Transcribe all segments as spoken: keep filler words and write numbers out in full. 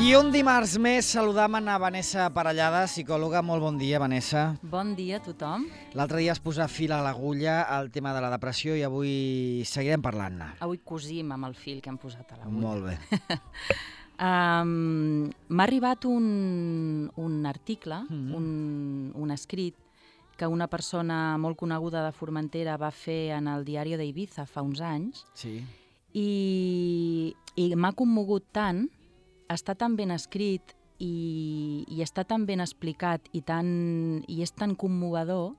I un dimarts més saludam a Vanessa Parellada, psicòloga. Molt bon dia, Vanessa. Bon dia a tothom. L'altre dia es posa fil a l'agulla al tema de la depressió i avui seguirem parlant-ne. Avui cosim amb el fil que hem posat a l'agulla. Molt bé. um, M'ha arribat un, un article, Mm-hmm. un, un escrit, que una persona molt coneguda de Formentera va fer en el Diari d'Ibiza fa uns anys, Sí. i, i m'ha commogut tant, està tan ben escrit i, i està tan ben explicat i, tan, i és tan commovedor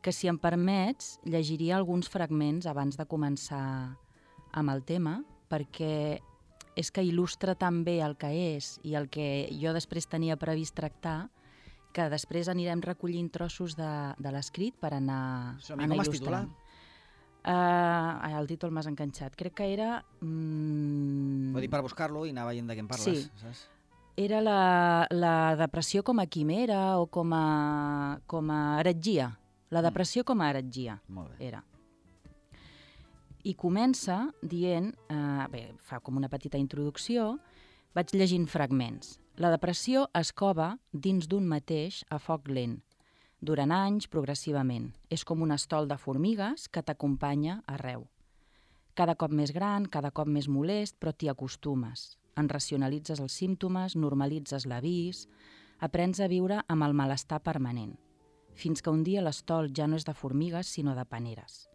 que, si em permets, llegiria alguns fragments abans de començar amb el tema, perquè és que il·lustra tan bé el que és i el que jo després tenia previst tractar, que després anirem recollint trossos de, de l'escrit per anar, Som-hi, anar com es il·lustrant. titula? Uh, el títol m'has enganxat. Crec que era... Mm, Vull dir, per buscar-lo i anar veient de què en parles, Sí. saps? era la, la depressió com a quimera o com a, com a heretgia. La depressió com a heretgia Molt bé. era. I comença dient... Uh, bé, fa com una petita introducció. Vaig llegint fragments. La depressió es cova dins d'un mateix a foc lent, durant anys, progressivament. És com un estol de formigues que t'acompanya arreu. Cada cop més gran, cada cop més molest, però t'hi acostumes. En racionalitzes els símptomes, normalitzes l'avís, aprens a viure amb el malestar permanent, fins que un dia l'estol ja no és de formigues, sinó de paneres.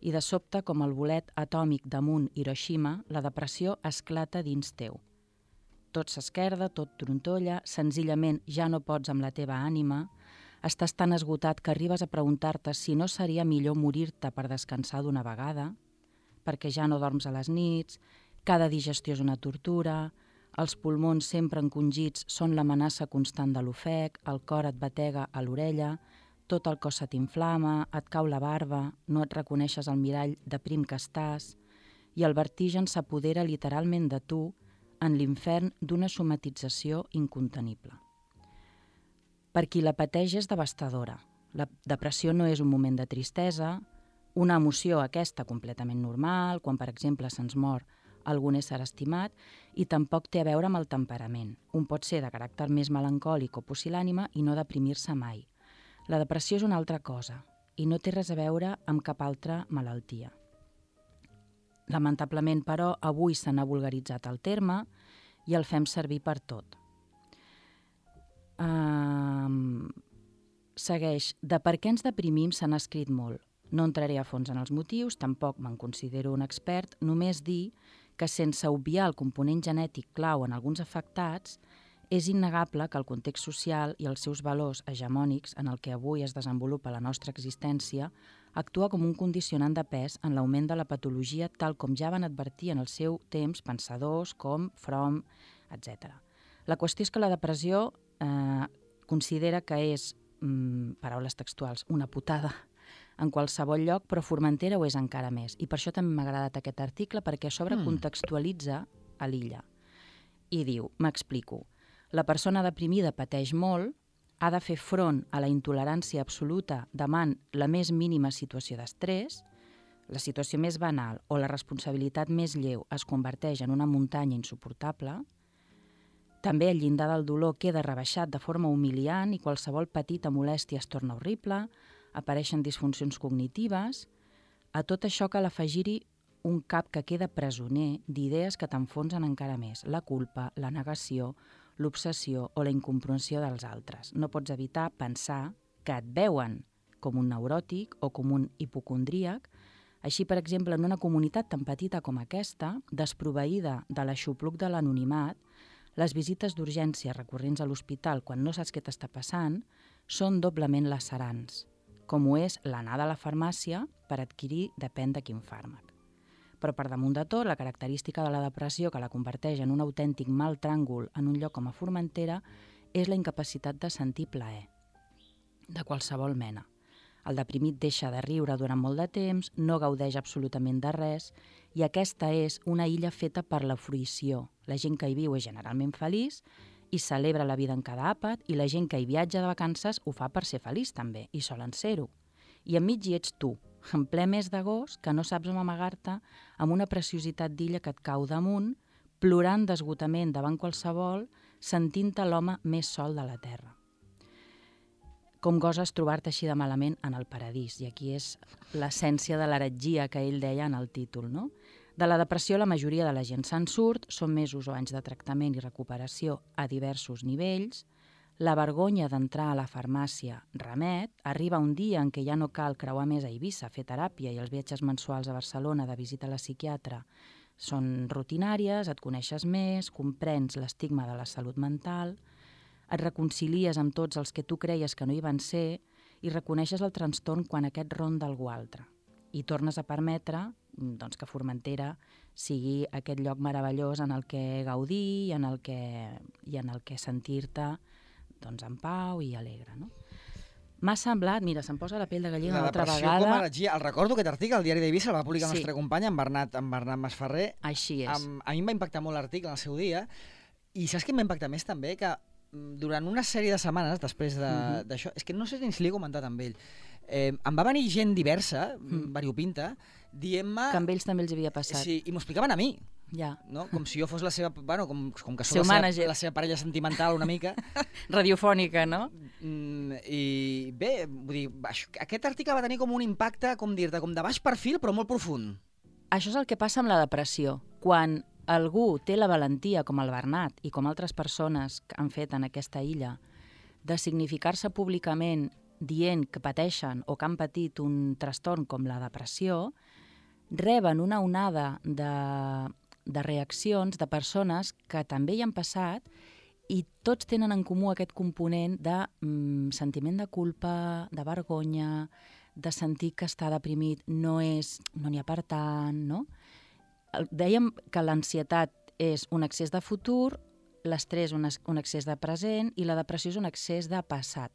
I de sobte, com el bolet atòmic damunt Hiroshima, la depressió esclata dins teu. Tot s'esquerda, tot trontolla, senzillament ja no pots amb la teva ànima, estàs tan esgotat que arribes a preguntar-te si no seria millor morir-te per descansar d'una vegada, perquè ja no dorms a les nits, cada digestió és una tortura, els pulmons sempre encongits són l'amenaça constant de l'ofec, el cor et batega a l'orella, tot el cos se t'inflama, et cau la barba, no et reconeixes al mirall de prim que estàs, i el vertigen s'apodera literalment de tu en l'infern d'una somatització incontenible. Per qui la pateix és devastadora. La depressió no és un moment de tristesa, una emoció aquesta completament normal, quan, per exemple, se'ns mor algun ésser estimat, i tampoc té a veure amb el temperament. Un pot ser de caràcter més melancòlic o pusil·lànime i no deprimir-se mai. La depressió és una altra cosa i no té res a veure amb cap altra malaltia. Lamentablement, però, avui se n'ha vulgaritzat el terme i el fem servir per tot. Uh, segueix. De per què ens deprimim se n'ha escrit molt. No entraré a fons en els motius, tampoc me'n considero un expert, només dir que, sense obviar el component genètic clau en alguns afectats, és innegable que el context social i els seus valors hegemònics en el que avui es desenvolupa la nostra existència actua com un condicionant de pes en l'augment de la patologia, tal com ja van advertir en el seu temps pensadors com Fromm, etcètera. La qüestió és que la depressió eh, considera que és, mm, paraules textuals, una putada en qualsevol lloc, però Formentera ho és encara més. I per això també m'ha agradat aquest article, perquè a sobre Mm. contextualitza a l'illa. I diu, m'explico, la persona deprimida pateix molt, ha de fer front a la intolerància absoluta davant la més mínima situació d'estrès, la situació més banal o la responsabilitat més lleu es converteix en una muntanya insuportable, també el llindar del dolor queda rebaixat de forma humiliant i qualsevol petita molèstia es torna horrible, apareixen disfuncions cognitives. A tot això cal afegir-hi un cap que queda presoner d'idees que t'enfonsen encara més, la culpa, la negació, l'obsessió o la incomprensió dels altres. No pots evitar pensar que et veuen com un neuròtic o com un hipocondríac. Així, per exemple, en una comunitat tan petita com aquesta, desproveïda de l'aixopluc de l'anonimat, les visites d'urgència recurrents a l'hospital quan no saps què t'està passant són doblement lacerants, com ho és l'anar a la farmàcia per adquirir depèn de quin fàrmac. Però per damunt de tot, la característica de la depressió que la converteix en un autèntic mal tràngol en un lloc com a Formentera és la incapacitat de sentir plaer, de qualsevol mena. El deprimit deixa de riure durant molt de temps, no gaudeix absolutament de res, i aquesta és una illa feta per la fruïció. La gent que hi viu és generalment feliç i celebra la vida en cada àpat, i la gent que hi viatja de vacances ho fa per ser feliç també, i solen ser-ho. I enmig hi ets tu, en ple mes d'agost, que no saps on amagar-te, amb una preciositat d'illa que et cau damunt, plorant d'esgotament davant qualsevol sentint-te l'home més sol de la Terra. Com goses trobar-te així de malament en el paradís, i aquí és l'essència de l'heretgia que ell deia en el títol, no? De la depressió la majoria de la gent se'n surt, són mesos o anys de tractament i recuperació a diversos nivells, la vergonya d'entrar a la farmàcia remet, arriba un dia en què ja no cal creuar més a Eivissa, fer teràpia, i els viatges mensuals a Barcelona de visita a la psiquiatra són rutinàries, et coneixes més, comprens l'estigma de la salut mental, et reconcilies amb tots els que tu creies que no hi van ser i reconeixes el trastorn quan aquest ronda algú altre. I tornes a permetre doncs, que Formentera sigui aquest lloc meravellós en el que gaudir i en el que, i en el que sentir-te doncs, en pau i alegre. No? M'ha semblat, mira, se'm posa la pell de gallina una altra vegada. La depressió com a heretgia. El recordo aquest article, el diari d'Eivissa, el va publicar el sí. nostre company, en Bernat, en Bernat Masferrer. Així és. Am, a mi em va impactar molt l'article en el seu dia, i saps què em va impactar més també? Que durant una sèrie de setmanes després d'això, de, uh-huh. és que no sé ni si l'he comentat amb ell, eh, em va venir gent diversa, mm. variopinta, dient-me... Que amb ells també els havia passat. Sí, i m'ho explicaven a mi. Ja. No? Com si jo fos la seva... Bueno, com, com que Seu sóc la seva, la seva parella sentimental una mica. Radiofònica, no? Mm, I bé, vull dir, això, aquest article va tenir com un impacte, com dir-te, com de baix perfil, però molt profund. Això és el que passa amb la depressió. Quan algú té la valentia, com el Bernat i com altres persones que han fet en aquesta illa, de significar-se públicament dient que pateixen o que han patit un trastorn com la depressió, reben una onada de, de reaccions de persones que també hi han passat i tots tenen en comú aquest component de mm, sentiment de culpa, de vergonya, de sentir que estar deprimit no és, no n'hi ha per tant, no? Dèiem que l'ansietat és un excés de futur, l'estrès un, un excés de present i la depressió és un excés de passat.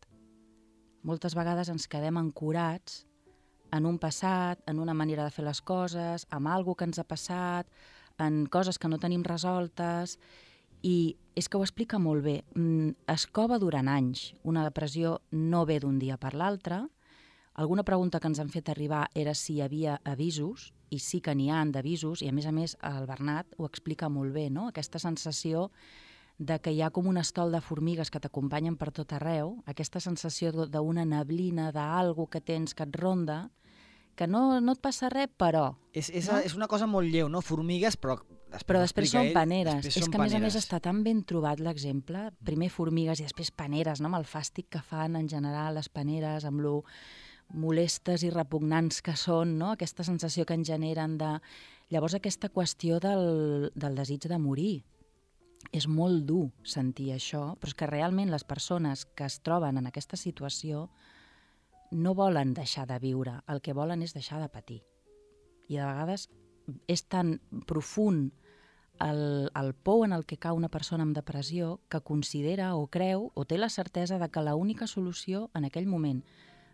Moltes vegades ens quedem ancorats en un passat, en una manera de fer les coses, amb alguna que ens ha passat, en coses que no tenim resoltes, i és que ho explica molt bé. Es cova durant anys. Una depressió no ve d'un dia per l'altre. Alguna pregunta que ens han fet arribar era si hi havia avisos, i sí que n'hi ha d'avisos, i a més a més el Bernat ho explica molt bé, no? Aquesta sensació de que hi ha com un estol de formigues que t'acompanyen per tot arreu, aquesta sensació d'una neblina, d'algú que tens que et ronda, que no, no et passa res, però... És, és, no? és una cosa molt lleu, no? Formigues, però... Després però després són ell, paneres. Després és són que, a més paneres. a més, està tan ben trobat l'exemple. Primer formigues i després paneres, no? Amb el fàstic que fan en general les paneres, amb lo molestes i repugnants que són, no? Aquesta sensació que en generen de... Llavors, aquesta qüestió del, del desig de morir. És molt dur sentir això, però és que realment les persones que es troben en aquesta situació no volen deixar de viure, el que volen és deixar de patir. I de vegades és tan profund el, el pou en el que cau una persona amb depressió que considera o creu o té la certesa de que l'única solució en aquell moment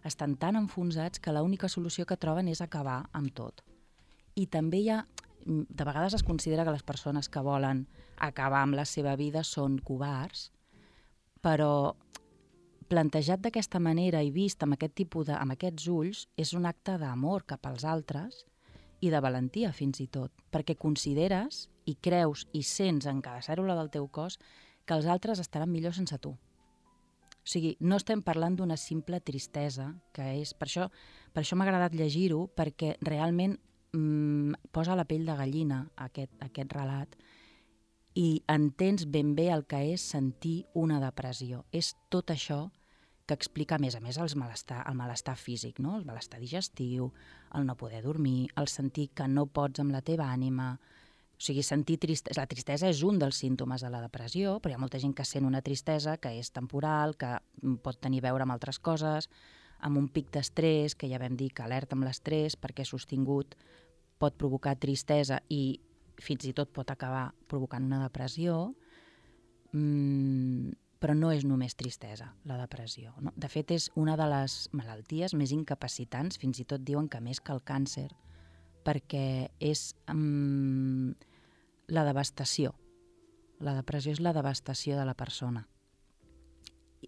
estan tan enfonsats que l'única solució que troben és acabar amb tot. I també hi ha, de vegades es considera que les persones que volen acabar amb la seva vida són covards, però plantejat d'aquesta manera i vist amb aquest tipus de, amb aquests ulls, és un acte d'amor cap als altres i de valentia fins i tot, perquè consideres i creus i sents en cada cèl·lula del teu cos que els altres estaran millor sense tu. O sigui, no estem parlant d'una simple tristesa, que és... Per això, per això m'ha agradat llegir-ho, perquè realment mmm, posa la pell de gallina aquest, aquest relat i entens ben bé el que és sentir una depressió. És tot això que explica, a més a més, el malestar, el malestar físic, no? El malestar digestiu, el no poder dormir, el sentir que no pots amb la teva ànima. O sigui, sentir tristesa. La tristesa és un dels símptomes de la depressió, però hi ha molta gent que sent una tristesa que és temporal, que pot tenir a veure amb altres coses, amb un pic d'estrès, que ja vam dir que alerta amb l'estrès, perquè sostingut pot provocar tristesa i fins i tot pot acabar provocant una depressió. Mm, però no és només tristesa, la depressió. No? De fet, és una de les malalties més incapacitants, fins i tot diuen que més que el càncer, perquè és um, la devastació. La depressió és la devastació de la persona.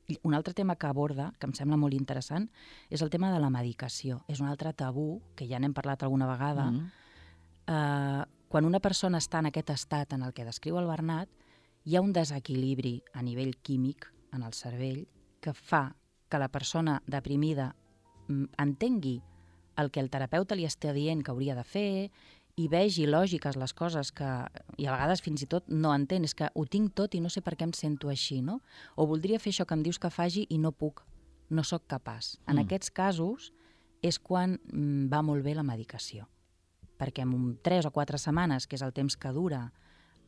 I un altre tema que aborda, que em sembla molt interessant, és el tema de la medicació. És un altre tabú, que ja n'hem parlat alguna vegada. Mm. Uh, quan una persona està en aquest estat en el que descriu el Bernat, hi ha un desequilibri a nivell químic en el cervell que fa que la persona deprimida entengui el que el terapeuta li està dient que hauria de fer i vegi lògiques les coses que, i a vegades fins i tot no entén, és que ho tinc tot i no sé per què em sento així, no? O voldria fer això que em dius que faci i no puc, no sóc capaç. En mm. aquests casos és quan mm, va molt bé la medicació, perquè en tres o quatre setmanes, que és el temps que dura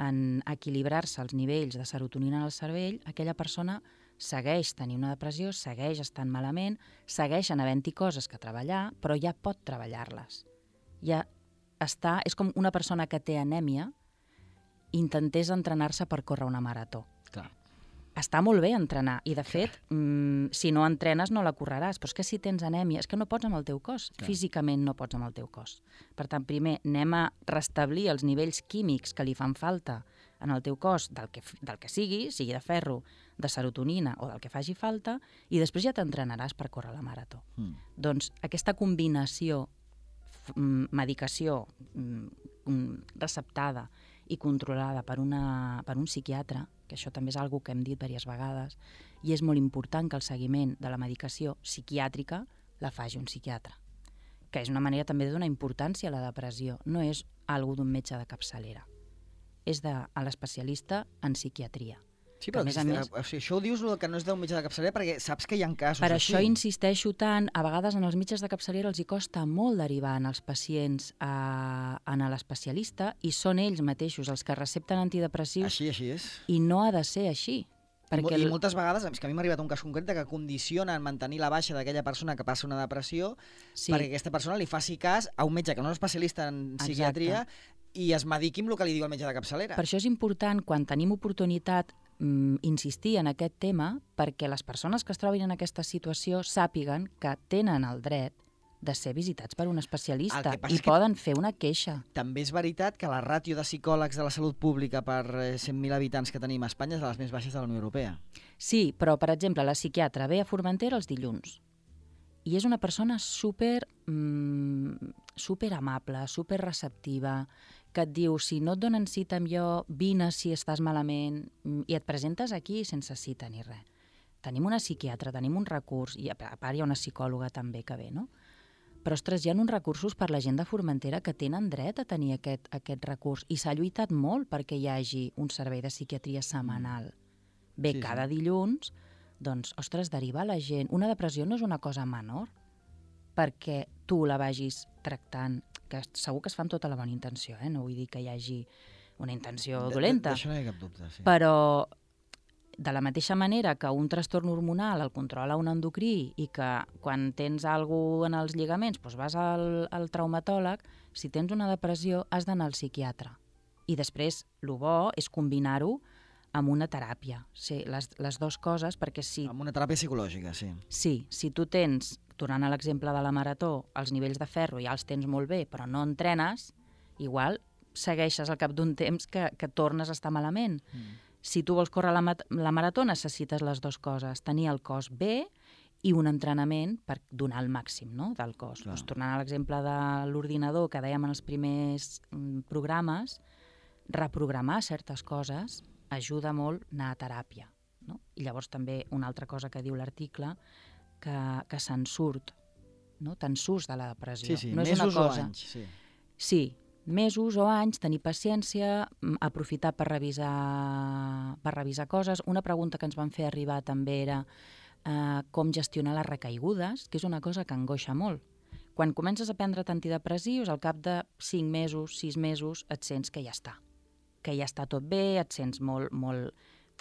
en equilibrar-se els nivells de serotonina en el cervell, aquella persona segueix tenint una depressió, segueix estant malament, segueixen havent-hi coses que treballar, però ja pot treballar-les. Ja està, és com una persona que té anèmia intentés entrenar-se per córrer una marató. Clar. Està molt bé entrenar, i de fet, mm, si no entrenes no la correràs, però és que si tens anèmia, és que no pots amb el teu cos, Clar. Físicament no pots amb el teu cos. Per tant, primer anem a restablir els nivells químics que li fan falta en el teu cos del que, del que sigui, sigui de ferro, de serotonina o del que faci falta, i després ja t'entrenaràs per córrer la marató. Mm. Doncs aquesta combinació medicació receptada i controlada per, una, per un psiquiatre, que això també és una cosa que hem dit diverses vegades, i és molt important que el seguiment de la medicació psiquiàtrica la faci un psiquiatre, que és una manera també de donar importància a la depressió. No és una cosa d'un metge de capçalera, és de l'especialista en psiquiatria. Sí, però a més, a més, o sigui, això ho dius que no és d'un metge de capçalera perquè saps que hi ha casos per així. Per això insisteixo tant, a vegades en els metges de capçalera els hi costa molt derivar en els pacients a, a l'especialista i són ells mateixos els que recepten antidepressius. Així, així és. I no ha de ser així. Perquè I, I moltes vegades, és que a mi m'ha arribat un cas concret que condicionen mantenir la baixa d'aquella persona que passa una depressió sí. perquè aquesta persona li faci cas a un metge que no és especialista en psiquiatria Exacte. I es mediqui amb el que li diu el metge de capçalera. Per això és important, quan tenim oportunitat, insistir en aquest tema perquè les persones que es trobin en aquesta situació sàpiguen que tenen el dret de ser visitats per un especialista i poden fer una queixa. També és veritat que la ràtio de psicòlegs de la salut pública per cent mil habitants que tenim a Espanya és de les més baixes de la Unió Europea. Sí, però, per exemple, la psiquiatra ve a Formentera els dilluns i és una persona super, mmm, super amable, super receptiva, que et diu, si no et donen cita amb jo, vine si estàs malament, i et presentes aquí sense cita ni res. Tenim una psiquiatra, tenim un recurs, i a part hi ha una psicòloga també que ve, no? Però, ostres, hi ha uns recursos per la gent de Formentera que tenen dret a tenir aquest, aquest recurs, i s'ha lluitat molt perquè hi hagi un servei de psiquiatria setmanal. Bé, sí, cada sí. dilluns, doncs, ostres, derivar la gent. Una depressió no és una cosa menor perquè tu la vagis tractant, que segur que es fa amb tota la bona intenció, eh? No vull dir que hi hagi una intenció dolenta. D'això no hi ha cap dubte, sí. Però de la mateixa manera que un trastorn hormonal el controla un endocrí i que quan tens alguna cosa en els lligaments doncs vas al, al traumatòleg, si tens una depressió has d'anar al psiquiatre. I després, el bo és combinar-ho amb una teràpia. Sí, les, les dues coses, perquè si... Amb una teràpia psicològica, sí. Sí, si tu tens, tornant a l'exemple de la marató, els nivells de ferro ja els tens molt bé, però no entrenes, igual segueixes al cap d'un temps que, que tornes a estar malament. Mm. Si tu vols córrer la, la marató, necessites les dues coses, tenir el cos bé i un entrenament per donar el màxim, no?, del cos. Doncs, tornant a l'exemple de l'ordinador que dèiem en els primers mm, programes, reprogramar certes coses ajuda molt anar a teràpia, no? I llavors també una altra cosa que diu l'article, que, que se'n surt, no? Te'n surts de la depressió. Sí, sí, no és mesos una cosa... o anys. Sí. sí, mesos o anys, tenir paciència, aprofitar per revisar, per revisar coses. Una pregunta que ens van fer arribar també era eh, com gestionar les recaigudes, que és una cosa que angoixa molt. Quan comences a prendre antidepressius, al cap de cinc mesos, sis mesos, et sents que ja està. que ja està tot bé, et sents molt, molt...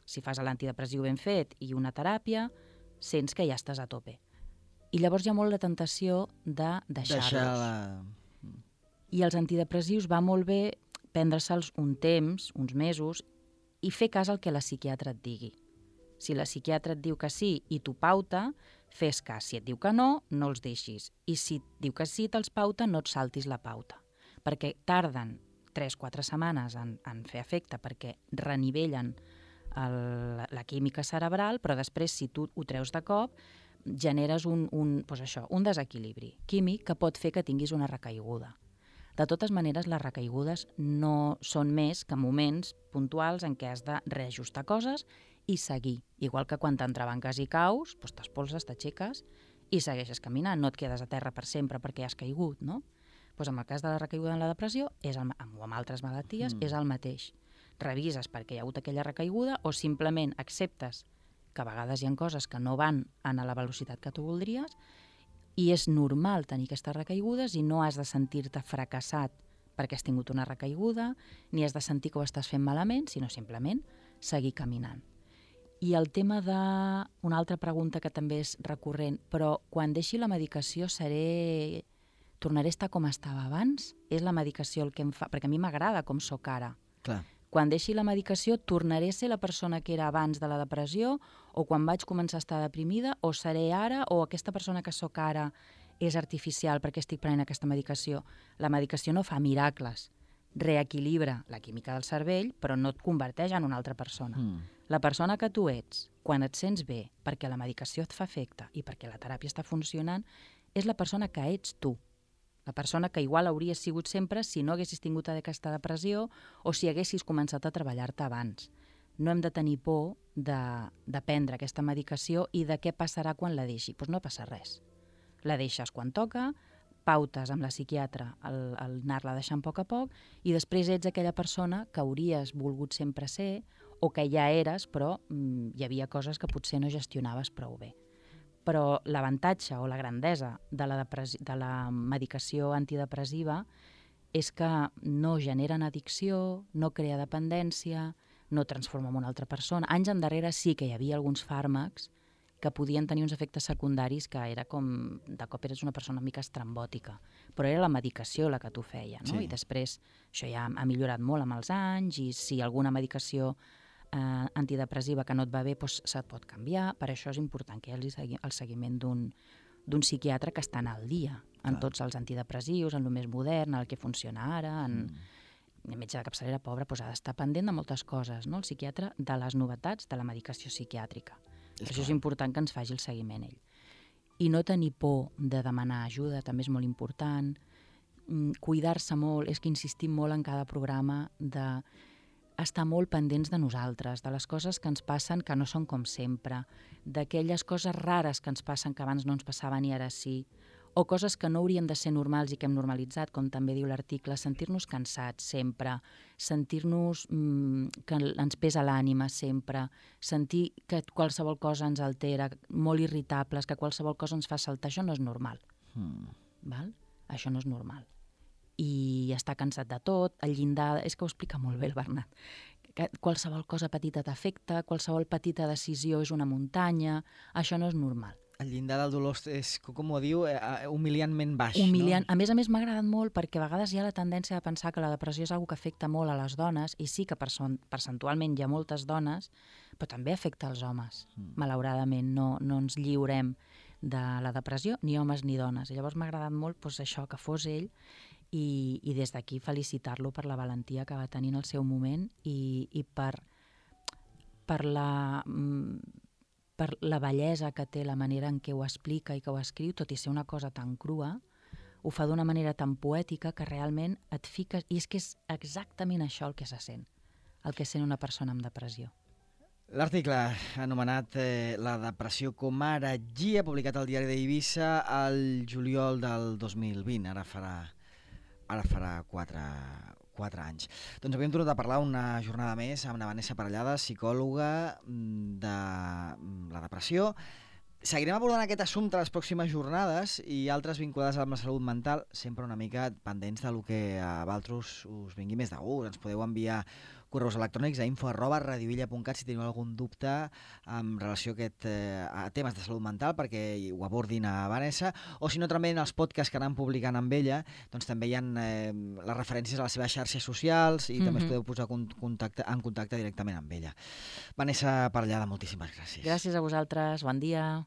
Si fas l'antidepressiu ben fet i una teràpia, sents que ja estàs a tope. I llavors hi ha molt la tentació de deixar-los. Deixar la... I els antidepressius va molt bé prendre-se'ls un temps, uns mesos, i fer cas al que la psiquiatra et digui. Si la psiquiatra et diu que sí i tu pauta, fes cas. Si et diu que no, no els deixis. I si et diu que sí, te'ls pauta, no et saltis la pauta. Perquè tarden tres quatre setmanes en, en fer efecte perquè renivellen el, la química cerebral, però després, si tu ho treus de cop, generes un, un, doncs això, un desequilibri químic que pot fer que tinguis una recaiguda. De totes maneres, les recaigudes no són més que moments puntuals en què has de reajustar coses i seguir. Igual que quan t'entrebanques i caus, doncs t'espolses, t'aixeques i segueixes caminant. No et quedes a terra per sempre perquè has caigut, no? Doncs en el cas de la recaiguda en la depressió, és el, o amb altres malalties, mm. és el mateix. Revises perquè hi ha hagut aquella recaiguda o simplement acceptes que a vegades hi ha coses que no van a la velocitat que tu voldries i és normal tenir aquestes recaigudes i no has de sentir-te fracassat perquè has tingut una recaiguda, ni has de sentir que ho estàs fent malament, sinó simplement seguir caminant. I el tema de... Una altra pregunta que també és recurrent, però quan deixi la medicació seré... tornaré a estar com estava abans? És la medicació el que em fa... Perquè a mi m'agrada com sóc ara. Clar. Quan deixi la medicació tornaré a ser la persona que era abans de la depressió o quan vaig començar a estar deprimida o seré ara o aquesta persona que sóc ara és artificial perquè estic prenent aquesta medicació. La medicació no fa miracles. Reequilibra la química del cervell però no et converteix en una altra persona. Mm. La persona que tu ets, quan et sents bé perquè la medicació et fa efecte i perquè la teràpia està funcionant, és la persona que ets tu. La persona que igual hauries sigut sempre si no haguessis tingut aquesta depressió o si haguessis començat a treballar-te abans. No hem de tenir por de, de prendre aquesta medicació i de què passarà quan la deixi. Doncs no passa res. La deixes quan toca, pautes amb la psiquiatra el, el anar-la deixant a poc a poc i després ets aquella persona que hauries volgut sempre ser o que ja eres, però mm, hi havia coses que potser no gestionaves prou bé. Però l'avantatge o la grandesa de la, de la medicació antidepressiva és que no generen addicció, no crea dependència, no transforma en una altra persona. Anys endarrere sí que hi havia alguns fàrmacs que podien tenir uns efectes secundaris que era com, de cop eres una persona una mica estrambòtica, però era la medicació la que t'ho feia, no? Sí. I després això ja ha millorat molt amb els anys i si alguna medicació Eh, antidepressiva que no et va bé, doncs se't pot canviar. Per això és important que hi hagi segui el seguiment d'un d'un psiquiatre que està al dia en Clar. Tots els antidepressius, en el més modern, en el que funciona ara, en... Mm. El metge de capçalera, pobre, doncs ha d'estar pendent de moltes coses, no? El psiquiatre, de les novetats de la medicació psiquiàtrica. És per això és important que ens faci el seguiment ell. I no tenir por de demanar ajuda, també és molt important. Mm, cuidar-se molt, és que insistim molt en cada programa de estar molt pendents de nosaltres, de les coses que ens passen que no són com sempre, d'aquelles coses rares que ens passen que abans no ens passaven i ara sí, o coses que no haurien de ser normals i que hem normalitzat, com també diu l'article, sentir-nos cansats sempre, sentir-nos mmm, que ens pesa l'ànima sempre, sentir que qualsevol cosa ens altera, molt irritables, que qualsevol cosa ens fa saltar, això no és normal. Mm. Val? Això no és normal. I estar cansat de tot, el llindar... És que ho explica molt bé el Bernat. Que qualsevol cosa petita t'afecta, qualsevol petita decisió és una muntanya, això no és normal. El llindar del dolor és, com ho diu, humiliantment baix, Humiliant. No? A més a més m'ha agradat molt perquè a vegades hi ha la tendència de pensar que la depressió és una cosa que afecta molt a les dones, i sí que percentualment hi ha moltes dones, però també afecta els homes. Mm. Malauradament no, no ens lliurem de la depressió, ni homes ni dones. I llavors m'ha agradat molt doncs, això, que fos ell, i, i des d'aquí felicitar-lo per la valentia que va tenir en el seu moment i, i per, per, la, per la bellesa que té la manera en què ho explica i que ho escriu, tot i ser una cosa tan crua, ho fa d'una manera tan poètica que realment et fiques... I és que és exactament això el que se sent, el que sent una persona amb depressió. L'article anomenat eh, La depressió com a heretgia, publicat al diari d'Eivissa el juliol del dos mil vint, ara farà... ara farà quatre, quatre anys. Doncs avui hem tornat a parlar una jornada més amb la Vanessa Parellada, psicòloga de la depressió. Seguirem abordant aquest assumpte les pròximes jornades i altres vinculades amb la salut mental, sempre una mica pendents del que a vosaltres us vingui més de gust. Ens podeu enviar correus electrònics a info arroba radiovilla punt cat si teniu algun dubte en relació a, aquest, eh, a temes de salut mental perquè ho abordin a Vanessa, o si no també en els podcasts que anem publicant amb ella, doncs també hi ha eh, les referències a les seves xarxes socials i mm-hmm. també us podeu posar contacte, en contacte directament amb ella. Vanessa Parellada, moltíssimes gràcies. Gràcies a vosaltres, bon dia.